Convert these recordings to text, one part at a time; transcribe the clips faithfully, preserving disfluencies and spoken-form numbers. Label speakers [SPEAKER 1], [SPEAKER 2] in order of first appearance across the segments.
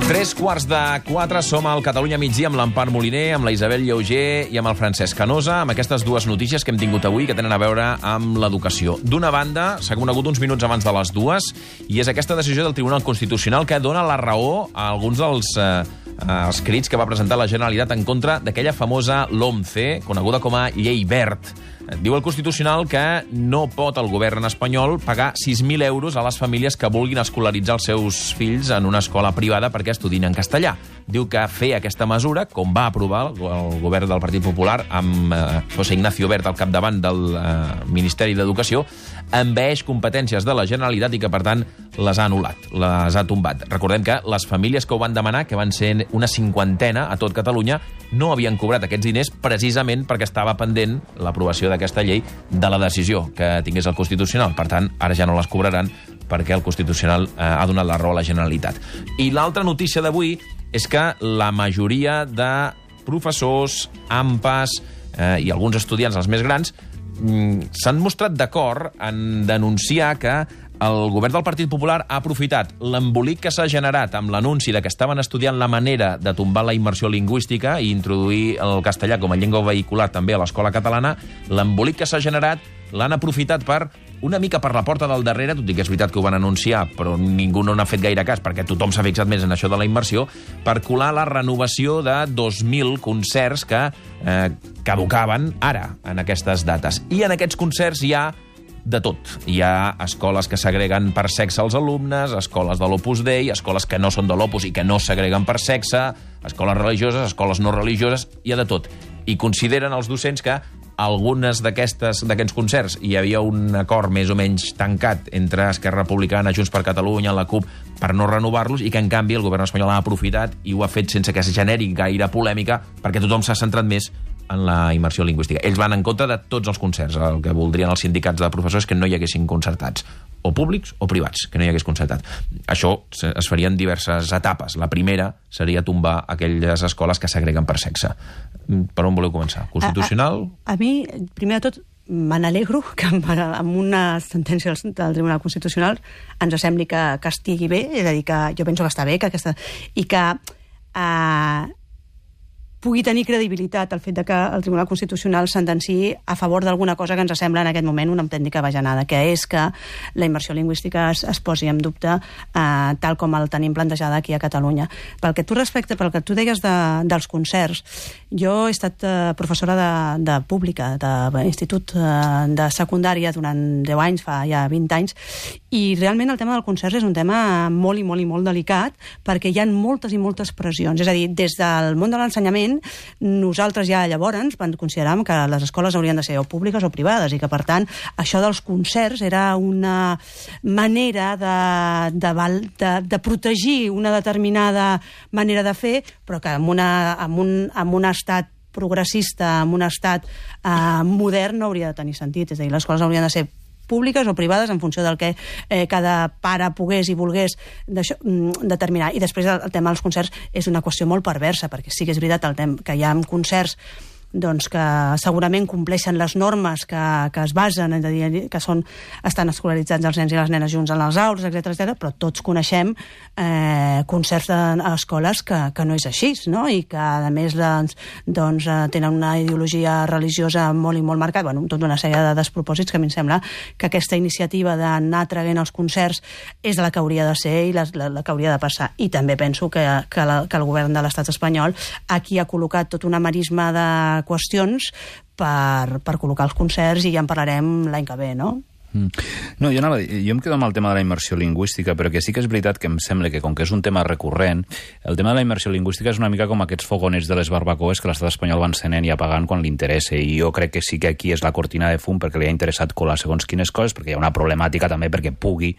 [SPEAKER 1] Tres quarts de quatre, som al Catalunya migdia amb l'Empar Moliner, amb la Isabel Lleuger i amb el Francesc Canosa, amb aquestes dues notícies que hem tingut avui que tenen a veure amb l'educació. D'una banda, s'ha conegut uns minuts abans de les dues, i és aquesta decisió del Tribunal Constitucional que dona la raó a alguns dels eh, els crits que va presentar la Generalitat en contra d'aquella famosa LOMCE, coneguda com a Llei Wert. Diu el Constitucional que no pot el govern espanyol pagar sis mil euros a les famílies que vulguin escolaritzar els seus fills en una escola privada perquè estudin en castellà. Diu que fer aquesta mesura, com va aprovar el govern del Partit Popular amb eh, José Ignacio Wert al capdavant del eh, Ministeri d'Educació, envaeix competències de la Generalitat i que, per tant, les ha anul·lat, les ha tombat. Recordem que les famílies que ho van demanar, que van ser una cinquantena a tot Catalunya, no havien cobrat aquests diners precisament perquè estava pendent l'aprovació d'aquesta llei de la decisió que tingués el Constitucional. Per tant, ara ja no les cobraran perquè el Constitucional eh, ha donat la raó a la Generalitat. I l'altra notícia d'avui és que la majoria de professors, A M Pas eh, i alguns estudiants, els més grans, mm, s'han mostrat d'acord en denunciar que el govern del Partit Popular ha aprofitat l'embolic que s'ha generat amb l'anunci de que estaven estudiant la manera de tombar la immersió lingüística i introduir el castellà com a llengua vehicular també a l'escola catalana. L'embolic que s'ha generat l'han aprofitat per, una mica per la porta del darrere, tot i que és veritat que ho van anunciar, però ningú no n'ha fet gaire cas, perquè tothom s'ha fixat més en això de la immersió, per colar la renovació de dos mil concerts que eh, caducaven ara, en aquestes dates. I en aquests concerts hi ha de tot. Hi ha escoles que segreguen per sexe els alumnes, escoles de l'Opus Dei, escoles que no són de l'Opus i que no segreguen per sexe, escoles religioses, escoles no religioses, hi ha de tot. I consideren els docents que algunes d'aquests concerts hi havia un acord més o menys tancat entre Esquerra Republicana, Junts per Catalunya, la CUP, per no renovar-los, i que en canvi el govern espanyol ha aprofitat i ho ha fet sense que es generi gaire polèmica perquè tothom s'ha centrat més en la immersió lingüística. Ells van en contra de tots els concerts. El que voldrien els sindicats de professors és que no hi haguessin concertats, o públics o privats, que no hi hagués concertat. Això es faria en diverses etapes. La primera seria tombar aquelles escoles que segreguen per sexe. Per on voleu començar? Constitucional?
[SPEAKER 2] A, a, a mi, primer de tot, me n'alegro que amb, amb una sentència del Tribunal Constitucional ens sembli que, que estigui bé, és a dir, que jo penso que està bé, que aquesta, i que eh, pugui tenir credibilitat el fet de que el Tribunal Constitucional sentenciï a favor d'alguna cosa que ens sembla en aquest moment una autèntica bajanada, que és que la immersió lingüística es, es posi en dubte eh, tal com el tenim plantejada aquí a Catalunya. Pel que tu respecte, pel que tu deies de, dels concerts, jo he estat eh, professora de, de pública, d'institut eh, de secundària durant deu anys, fa ja vint anys, i realment el tema del concert és un tema molt i molt i molt delicat perquè hi ha moltes i moltes pressions. És a dir, des del món de l'ensenyament nosaltres ja llavors consideràvem que les escoles haurien de ser o públiques o privades i que, per tant, això dels concerts era una manera de, de, de, de protegir una determinada manera de fer, però que en, una, en, un, en un estat progressista, en un estat eh, modern no hauria de tenir sentit. És a dir, les escoles haurien de ser públiques o privades en funció del que eh, cada pare pogués i volgués determinar. I després el, el tema dels concerts és una qüestió molt perversa, perquè sí que és veritat el tema, que hi ha concerts doncs, que segurament compleixen les normes que, que es basen, és a dir, que són, estan escolaritzats els nens i les nenes junts en les aules, etcètera, etcètera, però tots coneixem eh, concerts d'escoles que, que no és així, no? I que, a més, doncs, doncs, tenen una ideologia religiosa molt i molt marcada, bueno, tota una sèrie de despropòsits que a mi em sembla que aquesta iniciativa d'anar traient els concerts és la que hauria de ser i la, la, la que hauria de passar. I també penso que, que, la, que el govern de l'estat espanyol aquí ha col·locat tot una marisma de qüestions per, per col·locar els concerts i ja en parlarem l'any que ve, no?
[SPEAKER 3] Mm. No, jo, anava, jo em quedo amb el tema de la immersió lingüística, però que sí que és veritat que em sembla que, com que és un tema recurrent, el tema de la immersió lingüística és una mica com aquests fogonets de les barbacoes que l'estat espanyol va encenent i apagant quan li interessa, i jo crec que sí que aquí és la cortina de fum perquè li ha interessat colar segons quines coses, perquè hi ha una problemàtica també perquè pugui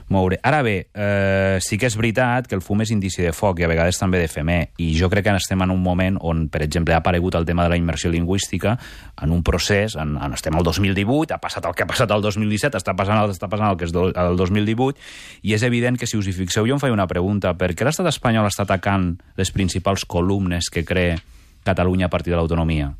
[SPEAKER 3] moure. Ara bé, eh, sí que és veritat que el fum és indici de foc i a vegades també d'efemer, i jo crec que estem en un moment on, per exemple, ha aparegut el tema de la immersió lingüística en un procés, en, en estem al dos mil divuit, ha passat el que ha passat al dos mil disset, està passant el, està passant el que és do, el dos mil divuit, i és evident que, si us hi fixeu, jo em faig una pregunta: per què l'estat espanyol està atacant les principals columnes que crea Catalunya a partir de l'autonomia?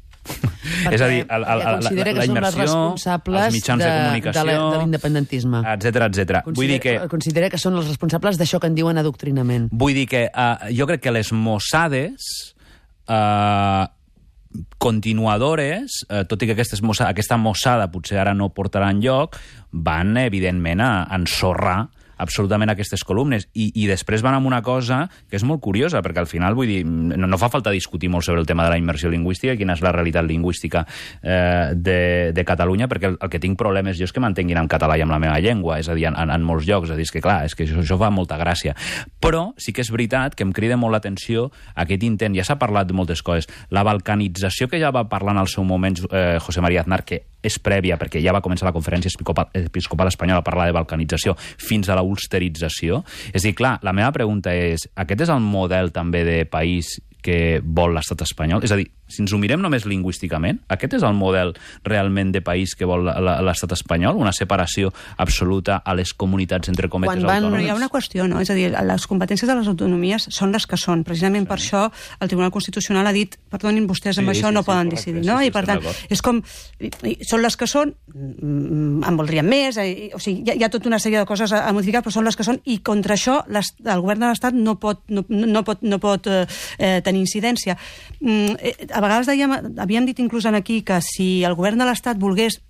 [SPEAKER 3] És a dir, el, el,
[SPEAKER 4] perquè considera
[SPEAKER 3] la,
[SPEAKER 4] que
[SPEAKER 3] la
[SPEAKER 4] són les
[SPEAKER 3] immersió,
[SPEAKER 4] responsables
[SPEAKER 3] els mitjans de,
[SPEAKER 4] de,
[SPEAKER 3] comunicació,
[SPEAKER 4] de, la- de l'independentisme.
[SPEAKER 3] etcètera, etcètera. Vull dir que...
[SPEAKER 4] Considera que són els responsables d'això que en diuen adoctrinament.
[SPEAKER 3] Vull dir que uh, jo crec que les mossades uh, continuadores, uh, tot i que aquestes mossa, aquesta mossada potser ara no portarà enlloc, van, evidentment, a ensorrar absolutament aquestes columnes. I, i després van amb una cosa que és molt curiosa, perquè al final, vull dir, no, no fa falta discutir molt sobre el tema de la immersió lingüística i quina és la realitat lingüística eh, de, de Catalunya, perquè el, el que tinc problemes jo és que mantenguin en català i amb la meva llengua, és a dir, en, en, en molts llocs. És a dir, és que clar, és que això, això fa molta gràcia. Però sí que és veritat que em crida molt l'atenció aquest intent, ja s'ha parlat de moltes coses, la balcanització que ja va parlar en el seu moment eh, José María Aznar, que és prèvia, perquè ja va començar la Conferència Episcopal, Episcopal Espanyola a parlar de balcanització fins a la ulsterització. És a dir, clar, la meva pregunta és, aquest és el model també de país que vol l'estat espanyol? És a dir, si ens ho mirem només lingüísticament, aquest és el model realment de país que vol l'estat espanyol? Una separació absoluta a les comunitats entre cometes
[SPEAKER 4] Quan van-
[SPEAKER 2] Però
[SPEAKER 3] autònomes?
[SPEAKER 2] hi ha una qüestió, no? És a dir, les competències de les autonomies són les que són. Precisament per això el Tribunal Constitucional ha dit, perdonin, vostès amb
[SPEAKER 3] Sí,
[SPEAKER 2] això
[SPEAKER 3] sí,
[SPEAKER 2] no
[SPEAKER 3] sí,
[SPEAKER 2] poden
[SPEAKER 3] correcte,
[SPEAKER 2] decidir,
[SPEAKER 3] sí,
[SPEAKER 2] no?
[SPEAKER 3] sí,
[SPEAKER 2] I per
[SPEAKER 3] estem
[SPEAKER 2] tant,
[SPEAKER 3] d'acord.
[SPEAKER 2] és com... i- i Són les que són, mm, en voldríem més, eh, o sigui, hi ha, hi ha tota una sèrie de coses a, a modificar, però són les que són, i contra això les, el govern de l'Estat no pot, no, no pot, no pot eh, eh, tenir incidència. Mm, eh, a vegades dèiem, havíem dit inclús aquí que si el govern de l'Estat volgués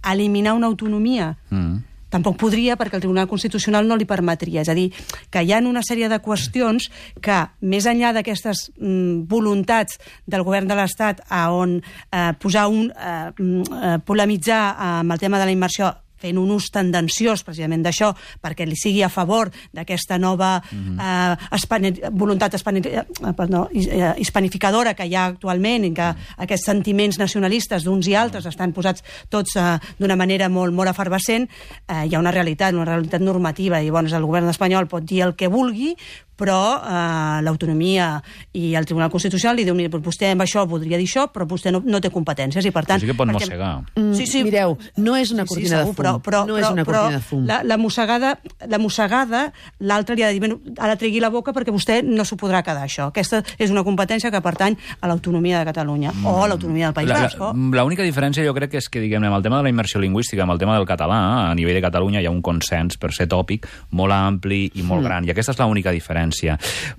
[SPEAKER 2] eliminar una autonomia,
[SPEAKER 3] Mm.
[SPEAKER 2] tampoc podria, perquè el Tribunal Constitucional no li permetria. És a dir, que hi ha una sèrie de qüestions que, més enllà d'aquestes mm, voluntats del govern de l'Estat a on eh, posar un... Eh, eh, polemitzar amb el tema de la immersió fent un ús tendenciós precisament d'això, perquè li sigui a favor d'aquesta nova mm-hmm. eh, espani, voluntat espani, eh, perdó, eh, hispanificadora que hi ha actualment, i que mm. aquests sentiments nacionalistes d'uns i altres estan posats tots eh, d'una manera molt, molt efervescent, eh, hi ha una realitat, una realitat normativa, i bueno, el govern espanyol pot dir el que vulgui, però eh, l'autonomia i el Tribunal Constitucional li diu, mira, vostè amb això voldria dir això, però vostè no, no té competències, i per tant...
[SPEAKER 3] Però sí que pot
[SPEAKER 2] perquè-
[SPEAKER 3] mossegar.
[SPEAKER 4] Mm,
[SPEAKER 2] Sí, sí.
[SPEAKER 4] Mireu, no és una
[SPEAKER 2] Sí, sí,
[SPEAKER 4] cortina
[SPEAKER 2] segur,
[SPEAKER 4] de fum.
[SPEAKER 2] però, però,
[SPEAKER 4] no és una
[SPEAKER 2] però,
[SPEAKER 4] cortina de fum.
[SPEAKER 2] La, la mossegada, la mossegada, l'altre li ha de dir, bueno, ara tregui la boca perquè vostè no s'ho podrà quedar, això. Aquesta és una competència que pertany a l'autonomia de Catalunya, mm. o a l'autonomia del País
[SPEAKER 3] La-
[SPEAKER 2] Basc.
[SPEAKER 3] la-
[SPEAKER 2] o-
[SPEAKER 3] L'única diferència jo crec que és que, diguem-ne, amb el tema de la immersió lingüística, amb el tema del català, a nivell de Catalunya hi ha un consens, per ser tòpic, molt ampli i molt mm. gran, i aquesta és l'única diferència.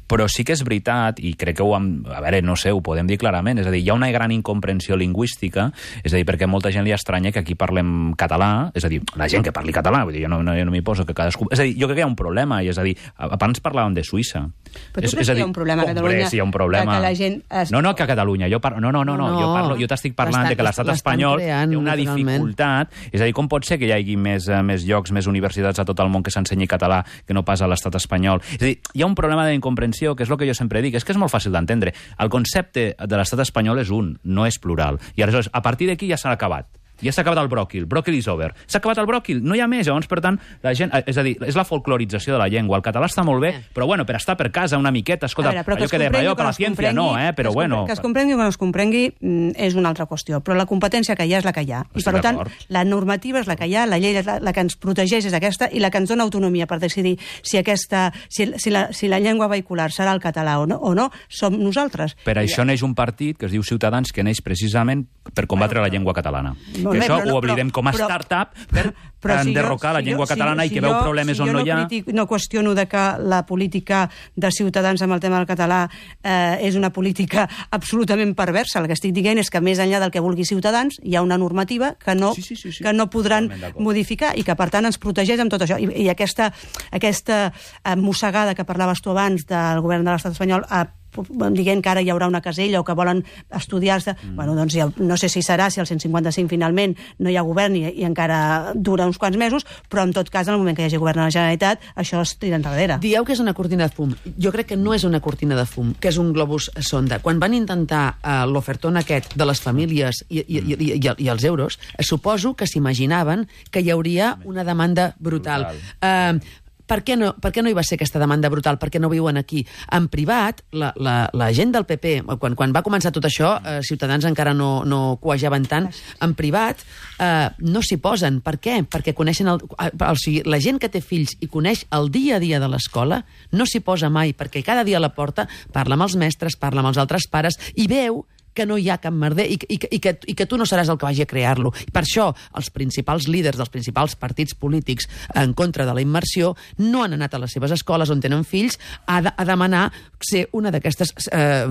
[SPEAKER 3] Però sí que és veritat, i crec que ho hem... A veure, no sé, ho podem dir clarament, és a dir, hi ha una gran incomprensió lingüística, és a dir, perquè molta gent li estranya que aquí parlem català, és a dir, la gent que parli català, vull dir, jo no, no, jo no m'hi poso que cadascú... És a dir, jo crec que hi ha un problema, i és a dir, abans parlàvem de Suïssa.
[SPEAKER 2] Però tu
[SPEAKER 3] és,
[SPEAKER 2] creus
[SPEAKER 3] és a
[SPEAKER 2] que hi
[SPEAKER 3] dir,
[SPEAKER 2] ha un problema a
[SPEAKER 3] hombre,
[SPEAKER 2] Catalunya
[SPEAKER 3] sí, hi ha un problema.
[SPEAKER 2] de que la gent es-
[SPEAKER 3] No, no, que a Catalunya. Jo parlo... No, no, no, no,
[SPEAKER 4] No,
[SPEAKER 3] jo, parlo, jo t'estic parlant
[SPEAKER 4] l'estan-
[SPEAKER 3] de que l'estat
[SPEAKER 4] l'estan
[SPEAKER 3] espanyol
[SPEAKER 4] creant,
[SPEAKER 3] té una
[SPEAKER 4] naturalment.
[SPEAKER 3] dificultat. És a dir, com pot ser que hi hagi més, eh, més llocs, més universitats a tot el món que s'ensenyi català que no pas a l'estat espanyol? És a dir, hi ha un problema d'incomprensió, que és el que jo sempre dic, és que és molt fàcil d'entendre. El concepte de l'estat espanyol és un, no és plural. I aleshores, a partir d'aquí ja s'ha acabat. Ja s'ha acabat el bròquil, bròquil is over. S'ha acabat el bròquil, no hi ha més. Llavors, per tant, la gent... És a dir, és la folclorització de la llengua. El català està molt bé, però bueno, per estar per casa una miqueta, escolta,
[SPEAKER 2] A veure, però
[SPEAKER 3] allò
[SPEAKER 2] es
[SPEAKER 3] que dèiem,
[SPEAKER 2] comprengui
[SPEAKER 3] allò
[SPEAKER 2] o que
[SPEAKER 3] per
[SPEAKER 2] no
[SPEAKER 3] la
[SPEAKER 2] es
[SPEAKER 3] ciència no,
[SPEAKER 2] comprengui,
[SPEAKER 3] eh? Però
[SPEAKER 2] que es
[SPEAKER 3] bueno...
[SPEAKER 2] compre- Que es comprengui o que no es comprengui mm, és una altra qüestió, però la competència que hi ha és la que hi ha. I,
[SPEAKER 3] Estic
[SPEAKER 2] per tant,
[SPEAKER 3] d'acord.
[SPEAKER 2] la normativa és la que hi ha, la llei és la, la que ens protegeix és aquesta, i la que ens dona autonomia per decidir si, aquesta, si, si, la, si la llengua vehicular serà el català o no, o no som nosaltres.
[SPEAKER 3] Per això neix un partit que es diu Ciutadans, que neix precisament per combatre la llengua catalana.
[SPEAKER 2] Molt
[SPEAKER 3] I
[SPEAKER 2] bé,
[SPEAKER 3] això
[SPEAKER 2] però no-
[SPEAKER 3] ho oblidem
[SPEAKER 2] però-
[SPEAKER 3] com a
[SPEAKER 2] però-
[SPEAKER 3] startup per
[SPEAKER 2] Però si
[SPEAKER 3] enderrocar
[SPEAKER 2] jo-
[SPEAKER 3] la
[SPEAKER 2] si
[SPEAKER 3] llengua
[SPEAKER 2] jo-
[SPEAKER 3] catalana
[SPEAKER 2] si-
[SPEAKER 3] i que
[SPEAKER 2] si
[SPEAKER 3] veu
[SPEAKER 2] jo-
[SPEAKER 3] problemes
[SPEAKER 2] si
[SPEAKER 3] on
[SPEAKER 2] jo
[SPEAKER 3] no hi ha...
[SPEAKER 2] critic, no qüestiono de que la política de Ciutadans amb el tema del català eh, és una política absolutament perversa. El que estic dient és que més enllà del que vulgui Ciutadans hi ha una normativa que no,
[SPEAKER 3] Sí, sí, sí, sí.
[SPEAKER 2] que no podran
[SPEAKER 3] Totalment d'acord.
[SPEAKER 2] modificar i que per tant ens protegeix amb tot això. I, i aquesta, aquesta eh, mossegada que parlaves tu abans del govern de l'estat espanyol eh, dient que ara hi haurà una casella o que volen estudiar-se, mm. bueno, doncs ja, no sé si serà, si el cent cinquanta cinc finalment no hi ha govern i, i encara dura uns quants mesos, però en tot cas, en el moment que hi hagi govern a la Generalitat, això es tira enrere.
[SPEAKER 4] Dieu que és una cortina de fum. Jo crec que no és una cortina de fum, que és un globus sonda. Quan van intentar uh, l'ofertón aquest de les famílies i, i, i, i, i, i els euros, eh, suposo que s'imaginaven que hi hauria una demanda brutal. brutal. Uh, Per què, no, per què no hi va ser aquesta demanda brutal? Per què no viuen aquí? En privat, la, la, la gent del P P, quan, quan va començar tot això, eh, Ciutadans encara no, no cuejaven tant, en privat eh, no s'hi posen. Per què? Perquè coneixen... El, o sigui, la gent que té fills i coneix el dia a dia de l'escola no s'hi posa mai, perquè cada dia a la porta parla amb els mestres, parla amb els altres pares i veu que no hi ha cap merder i, i, i, que, i que tu no seràs el que vagi a crear-lo. Per això, els principals líders dels principals partits polítics en contra de la immersió no han anat a les seves escoles on tenen fills a, de, a demanar ser una d'aquestes eh,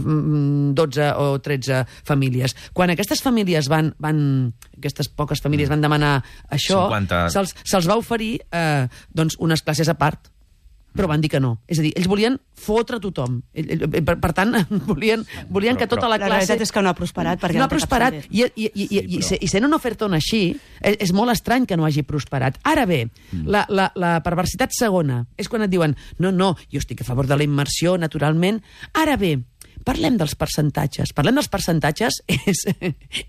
[SPEAKER 4] dotze o tretze famílies. Quan aquestes famílies van, van aquestes poques famílies van demanar això,
[SPEAKER 1] cinquanta
[SPEAKER 4] se'ls se va oferir eh, doncs unes classes a part, però van dir que no. És a dir, ells volien fotre tothom. Per, per tant, volien, volien però, que tota la classe...
[SPEAKER 2] La realitat és que no ha prosperat. Perquè
[SPEAKER 4] no, no ha
[SPEAKER 2] té
[SPEAKER 4] prosperat. I, i, i, i, i, i sent una ofertona així, és, és molt estrany que no hagi prosperat. Ara bé, mm. la, la, la perversitat segona és quan et diuen no, no, jo estic a favor de la immersió, naturalment. Ara bé, parlem dels percentatges. Parlem dels percentatges és,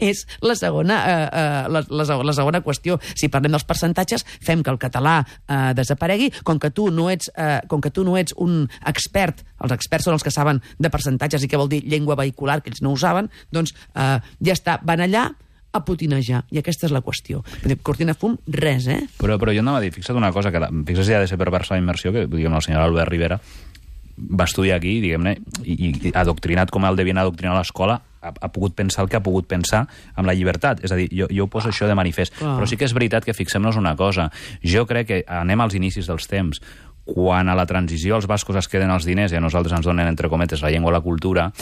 [SPEAKER 4] és la, segona, eh, eh, la, la, la segona qüestió. Si parlem dels percentatges, fem que el català eh, desaparegui. Com que, tu no ets, eh, com que tu no ets un expert, els experts són els que saben de percentatges i què vol dir llengua vehicular, que ells no ho saben, doncs eh, ja està, van allà a putinejar. I aquesta és la qüestió. Cortina fum, res, eh?
[SPEAKER 3] Però, però jo anava a dir, fixa't una cosa, que la, fixa't si ha de ser perversa la immersió, que diguem el senyor Albert Rivera va estudiar aquí, diguem-ne, i, i adoctrinat com el devien adoctrinar a l'escola, ha, ha pogut pensar el que ha pogut pensar amb la llibertat. És a dir, jo, jo ho poso ah, això de manifest. Ah. Però sí que és veritat que fixem-nos una cosa. Jo crec que anem als inicis dels temps. Quan a la transició els bascos es queden els diners i a nosaltres ens donen, entre cometes, la llengua o la cultura,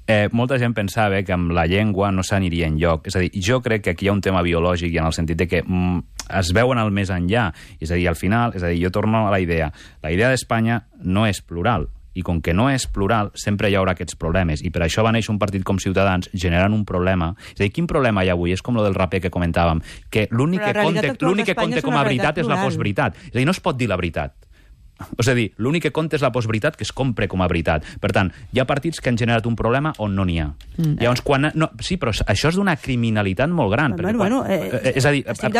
[SPEAKER 3] Eh, molta gent pensava que amb la llengua no s'aniria enlloc. És a dir, jo crec que aquí hi ha un tema biològic i en el sentit de que mm, es veuen al més enllà. És a dir, al final, és a dir, jo torno a la idea. La idea d'Espanya no és plural. I com que no és plural, sempre hi haurà aquests problemes. I per això va néixer un partit com Ciutadans generant un problema. És a dir, quin problema hi ha avui? És com lo del raper que comentàvem. Que l'únic que conte, l'únic que conte com a veritat és la postveritat. És a dir, no es pot dir la veritat. És a dir, l'únic que compta és la postveritat que es compre com a veritat. Per tant, hi ha partits que han generat un problema on no n'hi ha. Mm. Llavors, quan... No, sí, però això és d'una criminalitat molt gran.
[SPEAKER 2] Bueno, bueno,
[SPEAKER 3] quan,
[SPEAKER 2] eh,
[SPEAKER 3] és a dir...
[SPEAKER 2] Estic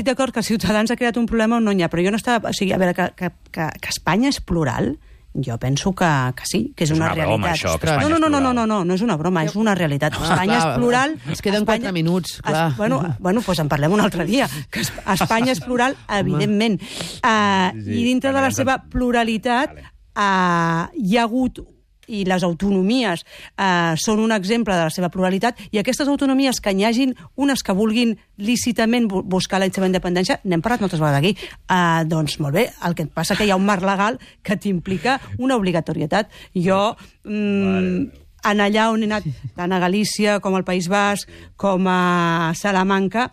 [SPEAKER 2] d'acord que Ciutadans ha creat un problema on no n'hi ha, però jo no estava... O sigui, a veure, que, que, que, que Espanya és plural, jo penso que, que sí, que és, és una, una broma,
[SPEAKER 3] realitat. Això, que
[SPEAKER 2] no, no, no, no, no, no, no, no és una broma, és una realitat.
[SPEAKER 4] Ah,
[SPEAKER 2] Espanya
[SPEAKER 4] clar,
[SPEAKER 2] és plural...
[SPEAKER 4] Es queden
[SPEAKER 2] Espanya,
[SPEAKER 4] quatre minuts, clar.
[SPEAKER 2] Es, bueno, bueno, doncs en parlem un altre dia. Que Espanya és plural, evidentment. Uh, sí, sí, I dintre de la seva pluralitat uh, hi ha hagut i les autonomies eh, són un exemple de la seva pluralitat, i aquestes autonomies que n'hi hagin unes que vulguin lícitament buscar la seva independència, n'hem parlat moltes vegades aquí, eh, doncs molt bé, el que passa que hi ha un marc legal que t'implica una obligatorietat. Jo... Mm, en allà on he anat, tant a Galícia com al País Basc, com a Salamanca,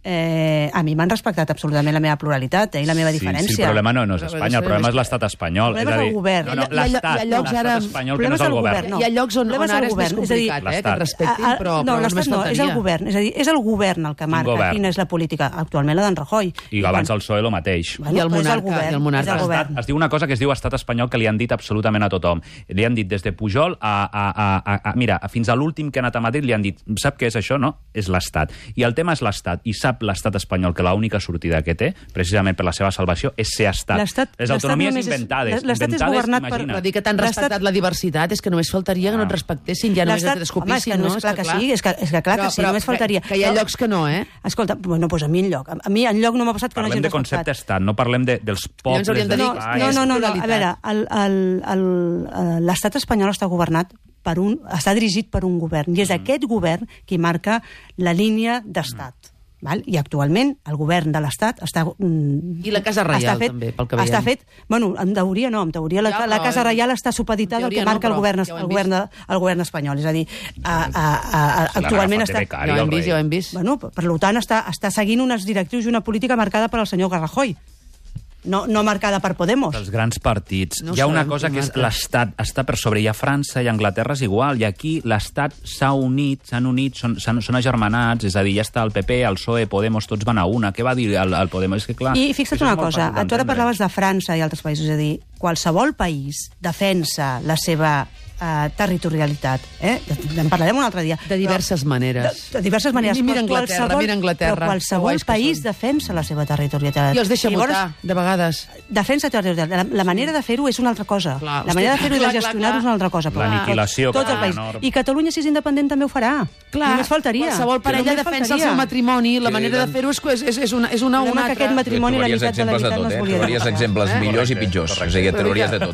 [SPEAKER 2] Eh, a mi m'han respectat absolutament la meva pluralitat eh, i la meva
[SPEAKER 3] sí,
[SPEAKER 2] diferència.
[SPEAKER 3] Sí, el problema no, no és Espanya, el problema és l'estat espanyol.
[SPEAKER 2] El problema és el govern.
[SPEAKER 3] No, no, l'estat espanyol, que no és el govern.
[SPEAKER 4] No. Hi ha llocs on, on ara és més complicat, eh, que et respectin, però,
[SPEAKER 2] no,
[SPEAKER 4] però
[SPEAKER 2] l'estat no, és el govern. És a dir, és el govern el que marca
[SPEAKER 3] govern?
[SPEAKER 2] Quina és la política. Actualment la d'en Rajoy.
[SPEAKER 3] I abans el P S O E el mateix.
[SPEAKER 2] Bueno,
[SPEAKER 4] I el monarca.
[SPEAKER 2] El govern,
[SPEAKER 4] i el monarca.
[SPEAKER 2] el govern.
[SPEAKER 3] Es diu una cosa que es diu estat espanyol que li han dit absolutament a tothom. Li han dit des de Pujol a... a, a, a, a mira, fins a l'últim que ha anat a Madrid li han dit, sap què és això? No? És l'estat. I el tema és l'estat. I sap l'estat espanyol que l'única sortida que té, precisament per la seva salvació, és ser estat. Les autonomies inventades.
[SPEAKER 2] L'estat és governat per...
[SPEAKER 4] Però dir que t'han respectat la diversitat és que només faltaria que no et respectessin, ja només et descopissin, no?
[SPEAKER 2] És clar que sí, és que clar que sí, només faltaria.
[SPEAKER 4] Que hi ha llocs que no, eh?
[SPEAKER 2] Escolta, bueno, doncs a mi enlloc. A mi enlloc no m'ha passat que no hagin respectat.
[SPEAKER 3] Parlem de concepte estat, no parlem dels pobles...
[SPEAKER 2] No, no, no, a veure, l'estat espanyol està governat per un... està dirigit per un govern, i és aquest govern qui marca la línia d'estat. Val? I actualment el govern de l'Estat està... Mm,
[SPEAKER 4] I la Casa Reial,
[SPEAKER 2] fet,
[SPEAKER 4] també, pel que veiem.
[SPEAKER 2] Està fet... Bueno, en teoria no, en teoria la, ja, la Casa Reial està supeditada al que marca no, el, govern, ja el, govern de, el govern espanyol. És a dir, a, a, a, a, actualment està...
[SPEAKER 4] Ja ho hem vist, ja ho hem vist.
[SPEAKER 2] Bueno, per tant, està, està seguint unes directrius i una política marcada per al senyor Rajoy. No, no marcada per Podemos.
[SPEAKER 3] Els grans partits.
[SPEAKER 4] No
[SPEAKER 3] hi ha una
[SPEAKER 4] sabem,
[SPEAKER 3] cosa que és l'Estat està per sobre. Hi ha França i Anglaterra és igual. I aquí l'Estat s'ha unit, s'han unit, són, són agermanats, és a dir, ja està el P P, el P S O E, Podemos, tots van a una. Què va dir el, el Podemos? És que, clar,
[SPEAKER 2] I fixa't una cosa, tu ara parlaves de França i altres països, és a dir, qualsevol país defensa la seva Uh, territorialitat. Eh? En parlarem un altre dia.
[SPEAKER 4] De diverses
[SPEAKER 2] però,
[SPEAKER 4] maneres.
[SPEAKER 2] De, de diverses maneres.
[SPEAKER 4] Mira Anglaterra,
[SPEAKER 2] qualsevol,
[SPEAKER 4] mira Anglaterra.
[SPEAKER 2] Però qualsevol país defensa la seva territorialitat.
[SPEAKER 4] I els deixa Llavors, votar, de vegades.
[SPEAKER 2] Defensa territorialitat. La, la manera de fer-ho és una altra cosa.
[SPEAKER 4] Clar,
[SPEAKER 2] la manera de fer-ho i de gestionar-ho és una altra cosa.
[SPEAKER 3] L'aniquilació.
[SPEAKER 2] Tot el país. I Catalunya, si és independent, també ho farà.
[SPEAKER 4] Clar,
[SPEAKER 2] només faltaria.
[SPEAKER 4] Qualsevol parella defensa el seu matrimoni. La manera de fer-ho és, és, és una, és una o una altra.
[SPEAKER 2] Aquest matrimoni, la meitat de la veritat no es volia dir.
[SPEAKER 1] Trobaries exemples millors i pitjors. O sigui, trobaries de tot.